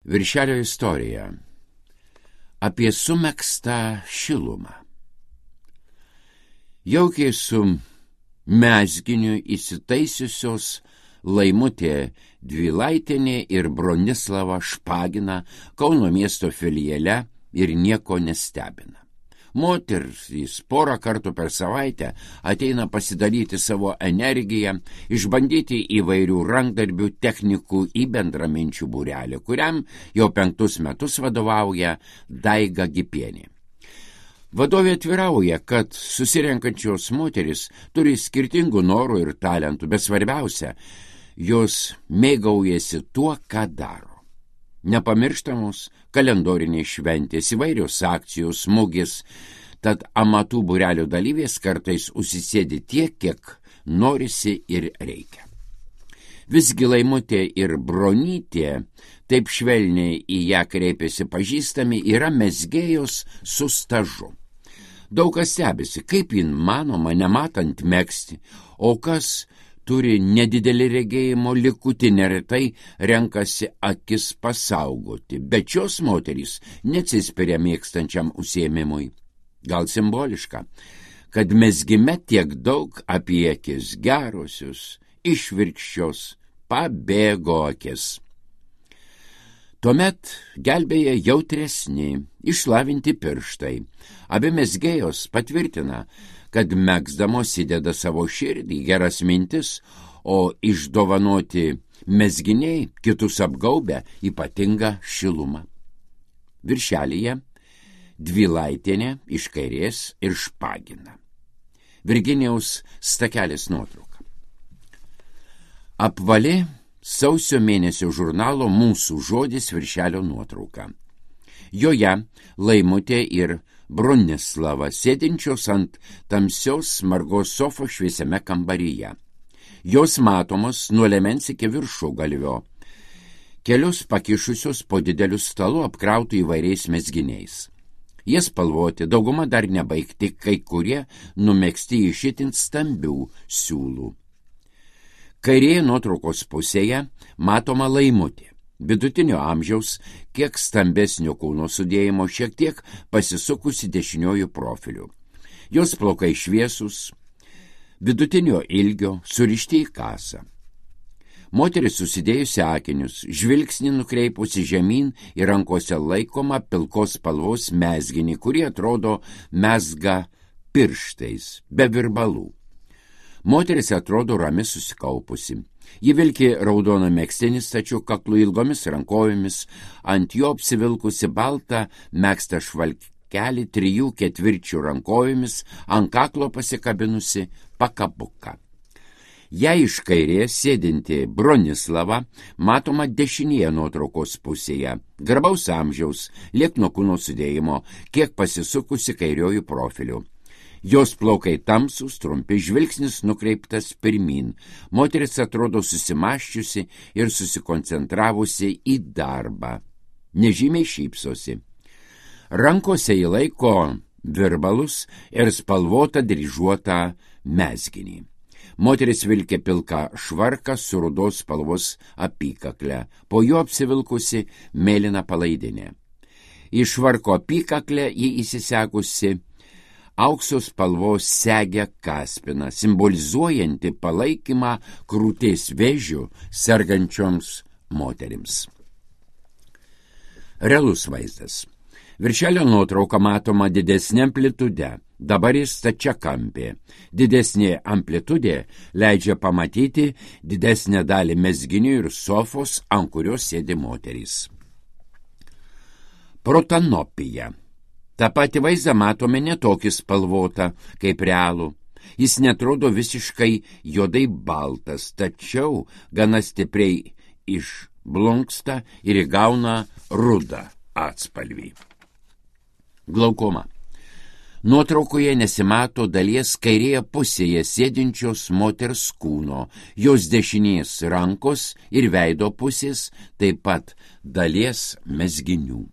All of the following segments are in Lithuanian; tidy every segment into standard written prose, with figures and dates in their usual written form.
Viršelio istorija apie sumegztą šilumą. Jaukiai su mezginiu įsitaisiusios Laimutė Dvilaitienė ir Bronislava Špagina Kauno miesto filiale ir nieko nestebina. Moterys porą kartų per savaitę ateina pasidalyti savo energiją, išbandyti įvairių rankdarbių technikų į bendraminčių būrelį, kuriam jau 5 metus vadovauja Daiga Gipienė. Vadovė atvirauja, kad susirenkančios moteris turi skirtingų norų ir talentų, bet svarbiausia, jos mėgaujasi tuo, ką daro. Nepamirštamos kalendoriniai šventės, įvairios akcijos, mugės, tad amatų būrelio dalyvės kartais užsisėdi tiek, kiek norisi ir reikia. Visgi Laimutė ir Bronytė, taip švelniai į ją kreipėsi pažįstami, yra mezgėjos su stažu. Daug kas stebisi, kaip jin manoma nematant megzti, o kas turi nedidelį regėjimo likutį, neretai renkasi akis pasaugoti, bet šios moterys neatsispiria mėgstančiam užsiėmimui. Gal simboliška, kad mezgime tiek daug apie akis gerosius, išvirkščios, pabėgo akis. Tuomet gelbėja jautresni, išlavinti pirštai. Abi mezgėjos patvirtina, kad megzdamos įdeda savo širdį, geras mintis, o išdovanoti mezginiai kitus apgaubia ypatingą šilumą. Viršelyje Dvilaitienė iš kairės ir Špagina. Virginijaus Stakelis nuotrauka. Apvali sausio mėnesio žurnalo Mūsų žodis viršelio nuotrauka. Joje Laimutė ir Bronislava sėdinčios ant tamsios margos sofos šviesiame kambaryje. Jos matomos nuo liemens iki viršugalvio, kelius pakišusios po dideliu stalu apkrautų įvairiais mezginiais. Jie spalvoti, dauguma dar nebaigti, kai kurie numegzti iš itin stambių siūlų. Kairėje nuotraukos pusėje matoma Laimutė. Vidutinio amžiaus, kiek stambesnio kūno sudėjimo, šiek tiek pasisukusi dešiniojų profiliu. Jos plaukai šviesus, vidutinio ilgio, surišti į kasą. Moteris susidėjusi akinius, žvilgsnį nukreipusi žemyn ir rankose laikoma pilkos spalvos mezginį, kurie atrodo mezga pirštais, be virbalų. Moteris atrodo rami susikaupusi. Ji vilki raudoną megztinį stačiu kaklu ilgomis rankovėmis, ant jo apsivilkusi baltą megztą švalkelį 3/4 rankovėmis, ant kaklo pasikabinusi pakabuką. Jei iš kairės sėdinti Bronislava matoma dešinėje nuotraukos pusėje, garbaus amžiaus, liekno kūno sudėjimo, kiek pasisukusi kairiojų profiliu. Jos plaukai tamsus, trumpi, žvilgsnis nukreiptas pirmin. Moteris atrodo susimaščiusi ir susikoncentravusi į darbą. Nežymiai šypsosi. Rankose įlaiko virbalus ir spalvotą dryžuotą mezginį. Moteris vilkė pilką švarką su rudos spalvos apykakle, po juo apsivilkusi mėlyną palaidinę. Į švarko apykaklę jį įsisekusi aukso spalvos segę kaspiną, simbolizuojanti palaikymą krūties vėžių sergančioms moterims. Realus vaizdas. Viršelio nuotrauka matoma didesnė amplitude, dabar jis stačiakampė. Didesnė amplitudė leidžia pamatyti didesnę dalį mezginių ir sofos, ant kurios sėdi moterys. Protanopija. Ta pati vaizdą matome netokį spalvotą kaip realų. Jis netrodo visiškai juodai baltas, tačiau gana stipriai išblunksta ir įgauna rudą atspalvį. Glaukoma. Nuotraukoje nesimato dalies kairėje pusėje sėdinčios moters kūno, jos dešinės rankos ir veido pusės, taip pat dalies mezginių.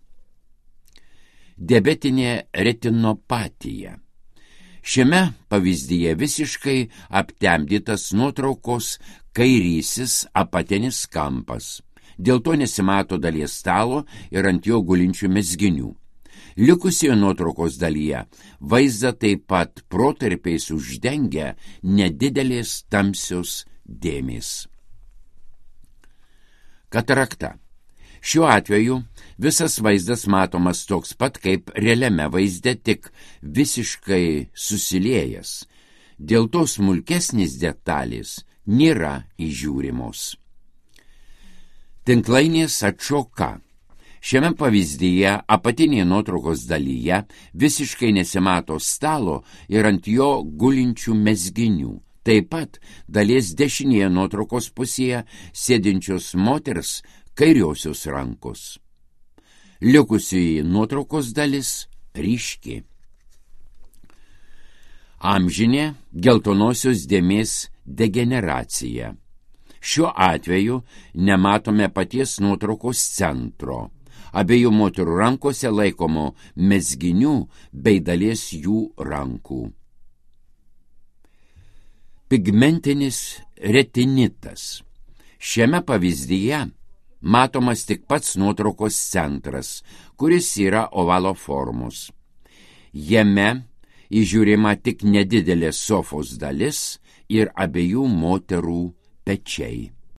Diabetinė retinopatija. Šiame pavyzdyje visiškai aptemdytas nuotraukos kairysis apatinis kampas. Dėl to nesimato dalies stalo ir ant jo gulinčių mezginių. Likusioje nuotraukos dalyje vaizdą taip pat protarpiais uždengia nedidelės tamsios dėmės. Katarakta. Šiuo atveju visas vaizdas matomas toks pat kaip realiame vaizde, tik visiškai susiliejęs. Dėl to smulkesnės detalės nėra įžiūrimos. Tinklainės atšoka. Šiame pavyzdyje apatinėje nuotraukos dalyje visiškai nesimato stalo ir ant jo gulinčių mezginių. Taip pat dalies dešinėje nuotraukos pusėje sėdinčios moters kairiosios rankos. Likusioji nuotraukos dalis ryški. Amžinė geltonosios dėmės degeneracija. Šiuo atveju nematome paties nuotraukos centro. Abiejų moterų rankose laikomo mezginių bei dalies jų rankų. Pigmentinis retinitas. Šiame pavyzdyje matomas tik pats nuotraukos centras, kuris yra ovalo formos. Jame įžiūrima tik nedidelė sofos dalis ir abiejų moterų pečiai.